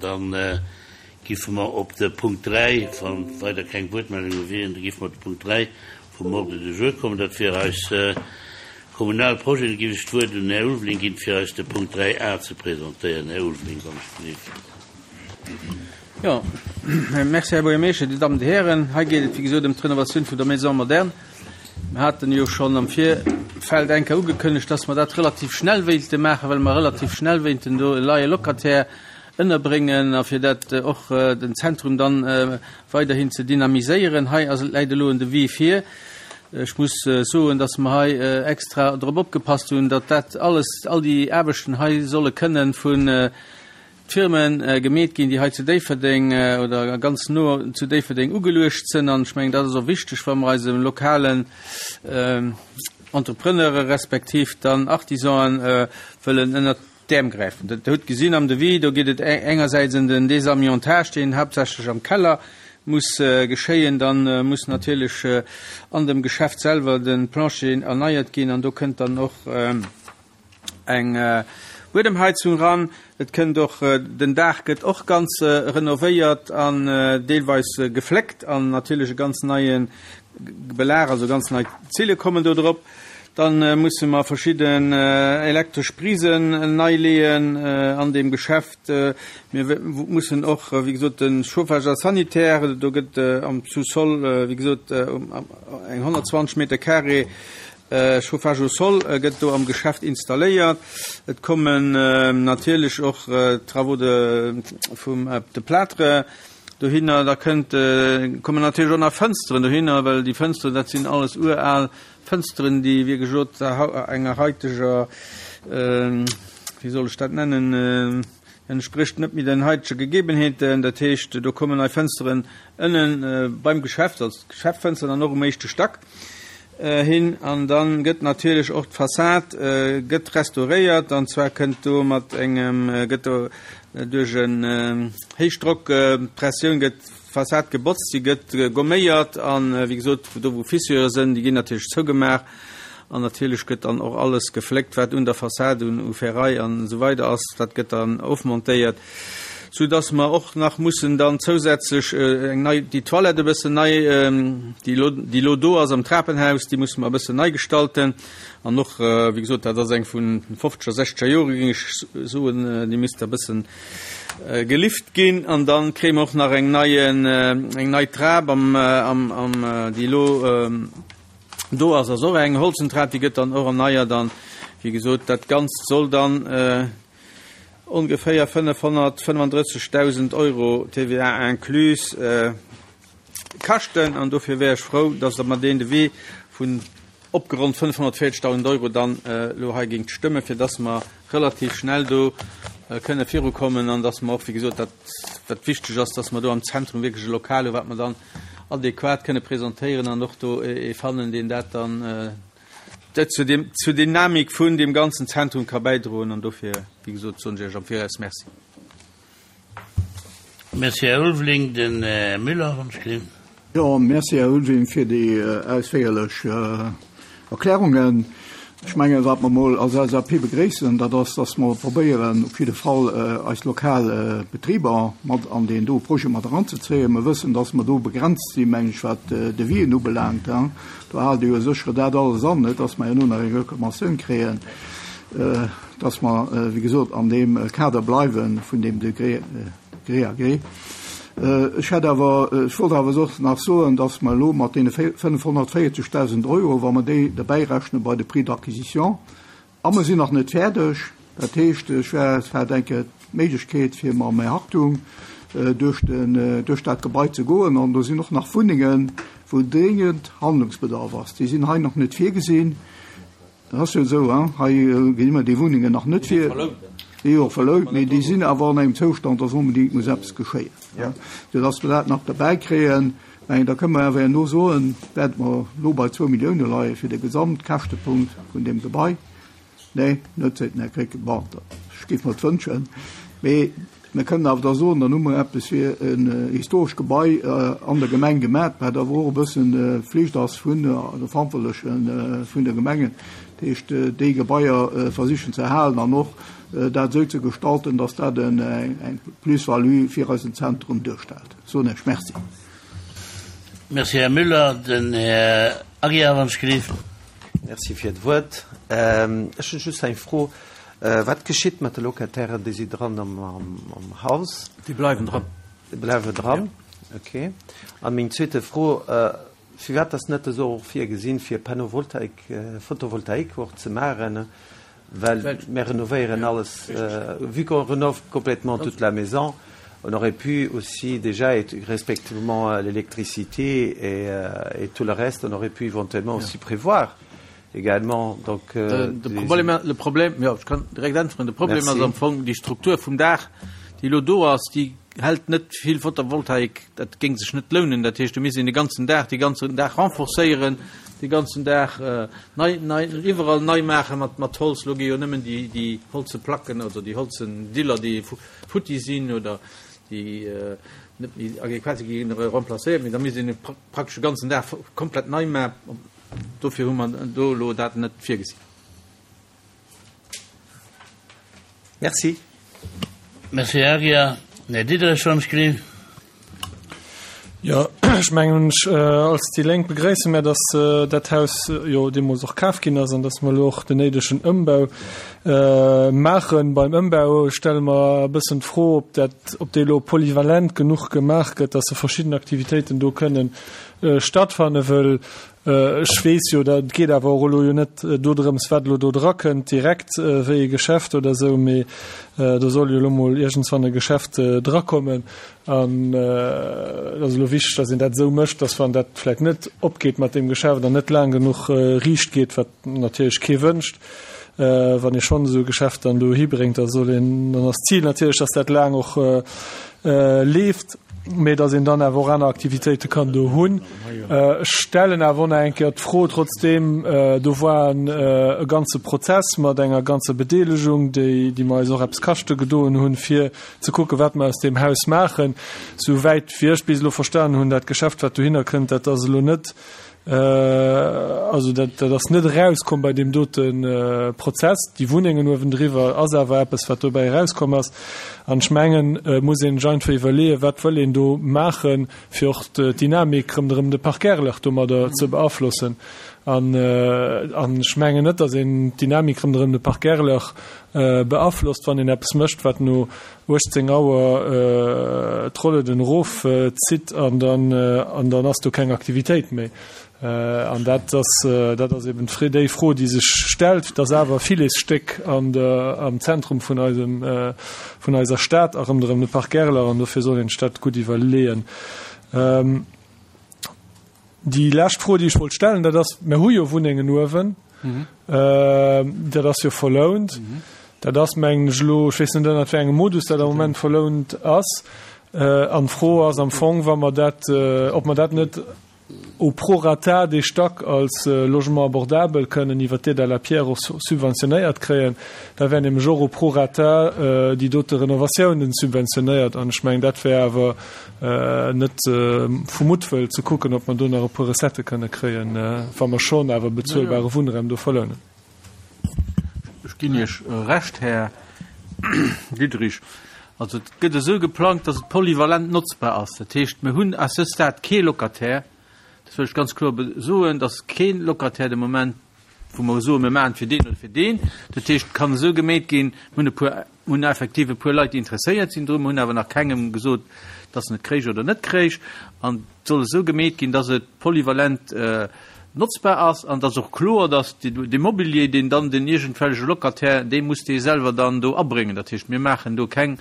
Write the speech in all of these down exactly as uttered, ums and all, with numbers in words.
Dann giffe mer op de Punkt dräi, wann weider keng Wuertmeldunge wieren, da giffe mer op de Punkt dräi vum Ordre du jour kommen. Dat wier eis kommunal Projeten. Da giff ech d'Wuert un den Här Ulveling ginn, fir eis de Punkt dräi a ze presentéieren. Här Ulveling, wann ech gelift. Jo, merci, Här Buergermeeschter, Dir Dammen, Dir Hären. Hei geet et, wéi gesot, ëm d'Renovatioun vun der Maison moderne. Mir haten jo schonn am Virfeld eng Kéier ugekënnegt, dass mer dat relativ schnell wéilte maachen, well mer relativ schnell wéinten do e neie Locataire ënnerbréngen a fir dat och den Zentrum dann weiderhin ze dynamiséieren. Hei ass, läit elo en Devis vir. Ech muss soen, dass mer hei extra drop opgepasst hunn, datt dat alles, all déi Aarbechten hei solle kënnen vun Firme gemeet ginn, déi hei zu Déifferdeng oder ganz no zu Déifferdeng ugeluecht sinn. An ech mengen, dat ass och wichteg, wa mer eise lokalen Entrepreneure respektiv dann Artisanen wëllen ënnert d'Äerm gräifen. Der hutt gesinn am Devis, do geet et engersäits ëm den Désamiantage, deen haaptsächlech am Keller muss geschéien. Dann muss natierlech an dem Geschäft selwer de Plancher erneiert ginn an do kënnt dann och eng Buedemheizung ran. Et kënnt och, den Daach gëtt och ganz renovéiert an deelweis gefléckt an natierlech e ganz neie Belag, also ganz nei Zille kommen do drop. Dann musse mer verschidden elektresch Prisen nei leeën an deem Geschäft. Mir mussen och, wéi gesot, de Chauffage a sanitaire, do gëtt am Sous-sol, wéi gesot, eng honnertzwanzeg Meter carré Chauffage au sol gëtt do am Geschäft installéiert. Et kommen natierlech och Travaux de vum de Plâtre dohinner. Da kënnt, kommen natierlech och nach Fënsteren dohinner, well déi Fënsteren, dat sinn alles ural Fënsteren, déi, wéi gesot, enger haiteger, wéi soll ech dat nennen, entsprécht net méi den haitege Gegebenheeten. Dat heescht, do kommen nei Fënsteren ënnen beim Geschäft, also d'Geschäftfënsteren an och um éischte Stack hin. An dann gëtt natierlech och d'Fassad gëtt restauréiert, an zwar kënnt do mat engem, gëtt do duerch en Héichdrockpressioun gëtt d'Fassad gebotzt, si gëtt gomméiert an, wéi gesot, do wou Fissure sinn, déi ginn natierlech zougemaach an natierlech gëtt dann och alles gefléckt, wat un der Fassad un u Ferraille an esou weider ass, dat gëtt dann ofmontéiert, sou dass mer och nach mussen dann zousätzlech eng nei, déi Toilette e bëssen nei, déi elo, déi elo do ass am Trapenhaus, déi musse mer e bëssen nei gestalten an och, wéi gesot, dat ass eng vun fofzeger, sechzeger Jore géing ech soen, déi misst e bëssen gelift ginn an dann kréie mer och nach eng neien, eng nei Trap am, am, am, déi elo do ass, ass och eng Holzentrap, déi gëtt dann och erneiert an, wéi gesot, dat Ganzt soll dann ongeféier fënnefhonnertfënnefandrëssegdausend Euro, T V A inclus, kaschten an dofir wär ech frou, dass Der mer deen Devis vun opgeronnt fënnefhonnertvéierzegdausend Euro dann elo hei géingt stëmmen, fir dass mer relativ schnell do kënne virukommen an dass mer och, wéi gesot, dat wat wichteg ass, dass mer do am Zentrum wierklech e Lokal hu wat mer dann adequat kënne presentéieren an och do ee fannen, deen dat dann zur dem zur Dynamik vun dem ganzen Zentrum ka bäidroen an dofir, wéi gesot, soen ech Iech am Viraus Merci. Merci, Här Ulveling. Den Här Müller, wann ech gelift. Jo, merci, Här Ulveling, fir déi ausféierlech Erklärungen. Ech mengen, wat mer mol als L S A P begréissen, dat ass, dass mer probéieren, op jidde Fall eis lokal Betriber mat an deen do Projet mat eranzezéien. Mer wëssen, dass mer do begrenzt sinn, meng ech, wat Devisen ubelaangt. Do haalt Dir jo sécher dat alles an, net dass mer herno nach eng Reklamatioun kréien, dass mer, wéi gesot, an deem Kader bleiwe vun deem Degré gré à gré. Ech hätt awer, ech wollt awer och nach soen, dass mer elo mat deene fënnefhonnertvéierzegdausend Euro, wa mer déi derbäi rechne bei de Prix d'acquisition, a mer sinn nach net fäerdeg, dat heescht, ech wär, et wär denke d'Méiglechkeet fir mam Här Hartung duerch den, duerch dat Gebai ze goen, an do sinn och nach Wunnengen, wou dringend Handlungsbedarf ass. Déi sinn hei nach net virgesinn. Dat ass jo esou, hein, hei ginn ëmmer déi Wunnengen nach net vir. Déi jo verlount, mee déi sinn awer an engem Zoustand, dass onbedéngt muss eppes geschéien, ja, fir dass mer dat nach derbäi kréien. Mä da kënne mer awer herno soen, wäerte mer elo bei zwou Millioune leie fir de Gesamtkäschtepunkt vun deem Gebai. Nee, net, seet den Här Krecké. Bon, ech géif mer et wënschen. Mee mir kënnen awer da soen, dann hu mer eppes fir en historescht Gebai an der Gemeng gemat, wat awer och e bëssen Flicht ass vun de Verantwortleche vun de Gemengen, dat heescht déi Gebaier versichen ze erhalen an och dat esou ze gestalten, dass dat eng Plus-value fir eisen Zentrum duerstellt. Soen ech Merci. Merci, Här Müller. Den Här Aguiar, wann ech gelift. Merci fir d'Wuert. Ech hunn just eng Fro. Wat geschitt mat de Locatairen, déi si dran am Haus? Déi bleiwen dran. Déi bleiwen dran, okay. An meng zweete Fro, Firwat ass net esou och virgesinn, fir Panneauvoltaik, Photovoltaïque och ze maachen? Well mir renovéieren alles, vu qu'on rénove complètement toute la maison, on aurait pu aussi déjà, respectivement l'électricité et, et tout le reste, on aurait pu éventuellement aussi prévoir également. Donc, euh, de Problem, le Problem, jo, ech kann direkt äntweren, de Problem ass am Fong déi Struktur vum Daach, déi elo do ass, déi hält net vill Photovoltaik, dat géing sech net lounen. Dat heescht, do misst een de ganzen Daach, dee ganzen Daach renforcéieren, dee ganzen Daach nei, nei, iwwerall nei maache mat, mat Holz. Elo gi jo nëmmen déi, déi holze Placken, also déi holzen Diller, déi futti sinn oder déi net méi adequat sinn, gi remplacéiert. Mee da misst een praktesch de ganzen Daach komplett nei maachen. Dofir hu mer do elo dat net virgesinn. Merci. Merci, Här Aguiar. Här Diderich, wann ech gelift. Jo, ech mengen, als déi Lénk begréisse mär, dass dat Haus jo deemools och kaf ginn ass an dass mer elo och den néidegen Ëmbau maachen. Beim Ëmbau stelle mer e bëssen d'Fro, ob dat, ob dee elo polyvalent genuch gemaach gëtt, dass se verschidden Aktivitéiten do kënnen stattfanne wëll ech weess jo, dat geet awer och elo jo net dodrëms, wat elo do drakënnt direkt wéi e Geschäft oder esou, mee do soll jo elo mol iergendswann e Geschäft drakommen. An et ass elo wichteg, datt een dat esou mécht, datt wann dat vläicht net opgeet mat deem Geschäft an net laang genuch riicht geet, wat natierlech kee wënscht, wann ee schonn esou e Geschäft dann dohi bréngt, da soll een, dann ass d'Zil natierlech, datt dat laang och leeft, mee datt een dann awer och aner Aktivitéite kann do hunn. Ech stellen awer och nach eng Kéier d'Fro trotzdeem, do war e ganze Prozess mat enger ganzer Bedeelegung, déi, déi mer eis och eppes kaschte gedoen hunn, fir ze kucken, wat mer aus deem Haus maachen. Souwäit wéi ech bis elo verstanen hunn, dat Geschäft, wat dohinner kënnt, dat ass elo net, Also dat, dat ass net erauskomm bei deem dote Prozess. Déi Wunnengen uewendriwwer ass awer eppes, wat dobäi erauskomm ass. An ech mengen, et muss een sech einfach iwwerleeën, wat wëll een do maachen, fir och d'Dynamik ronderëm de Parc Erlach domadder ze beaflossen. An, an ech mengen net, datt een d'Dynamik ronderëm de Parc Erlach beaflosst, wann een eppes mécht, wat no uechtzéng Auer d'Rolleden erofzitt an dann, an dann ass do keng Aktivitéit méi. An dat ass, dat ass eben déi Fro, déi sech stellt. Et ass awer e Filetsstéck an der, am Zentrum vun eisem, vun eiser Stad a ronderëm de Parc Erler, an dofir soll een sech dat gutt iwwerleeën. Déi lescht Fro, déi ech wollt stellen, dat ass, Mir hu jo Wunnengen uewen, dat ass jo verlount. Dat ass, mengen ech elo, ech weess net, ënnert wéi engem Modus dat am Moment verlount ass. An d'Fro ass am Fong, wa mer dat, ob mer dat net au prorata dee Stack als Logement abordable kënnen iwwer d'Aide à la pierre och subventionéiert kréien. Da wären nämlech och au prorata déi dote Renovatiounen subventionéiert. An ech mengen, dat wär awer net vu Muttwëll ze kucken, ob mer do nach e puer Recettë kënne kréien, wa mer schonn awer bezuelbare Wunnraum do verlounen. Ech ginn Iech Recht, Här Diderich. Also et gëtt esou geplangt, datt et polyvalent notzbar ass. Dat heescht, mir hunn à ce stade kee Locataire, dat wëll ech ganz kloer soen, datt kee Locataire de Moment, wou mer soen, mir maachen et fir deen oder fir deen. Dat heescht, et kann esou gemeet ginn, mir hunn e puer, mir hunn effektiv e puer Leit, déi interesséiert sinn drun, mir hunn awer nach kengem gesot, datt en et kréich oder net kréich. An et soll esou gemeet ginn, datt et polyvalent notzbar ass an et ass och kloer, datt dee Mobilier, deen dann den iergendwelleche Locataire, dee muss dee selwer dann do abréngen. Dat heescht, mir maachen do keng,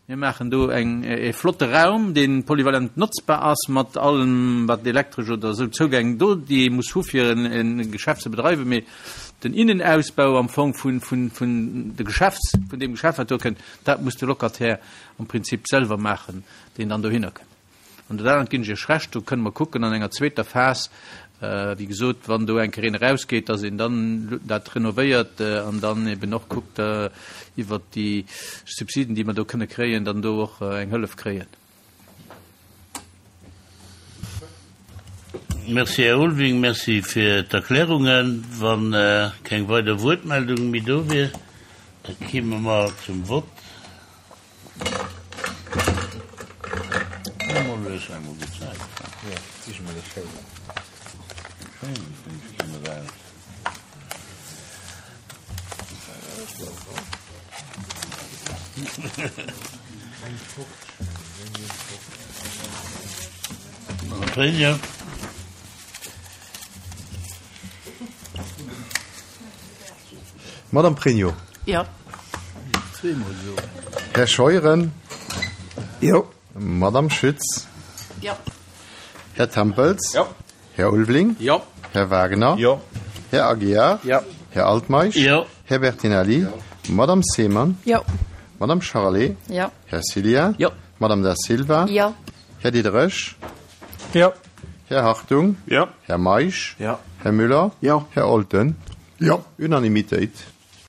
mir maachen do eng, e flotte Raum, dee polyvalent notzbar ass mat allem, wat elektresch oder esou Zougäng do, déi ee muss hu fir en Geschäft ze bedreiwen. Mee den Innenausbau am Fong vun, vun, vun de Geschäfts, vun deem Geschäft, wat do kënnt, dat muss de Locataire am Prinzip selwer maachen, deen dann dohinner kënnt. An dat anert ginn ech Iech Recht, do kënne mer kucken an enger zweeter Phas, wéi gesot, wann do eng Kéier een erausgeet, dass een dann dat renovéiert an dann eben och kuckt iwwert déi Subsiden, déi mer do kënne kréien, dann do och eng Hëllef kréien. Merci, Här Ulving. Merci fir d'Erklärungen. Wa keng weider Wuertmeldung méi do wier, Da kimme mer zum Vott. Madame Pregno. Jo. Här Scheuren. Jo. Madame Schütz. Jo. Här Tempels. Jo. Här Ulveling. Jo. Här Wagner. Jo. Här Aguiar. Jo. Här Altmeisch. Jo. Här Bertinelli. Jo. Madame Seemann. Jo. Madame Charlé. Jo. Här Cilien. Jo. Madame Da Silva. Jo. Här Diderich. Jo. Här Hartung. Jo. Här Meisch. Jo. Här Müller. Jo. Här Olten. Jo. Unanimitéit.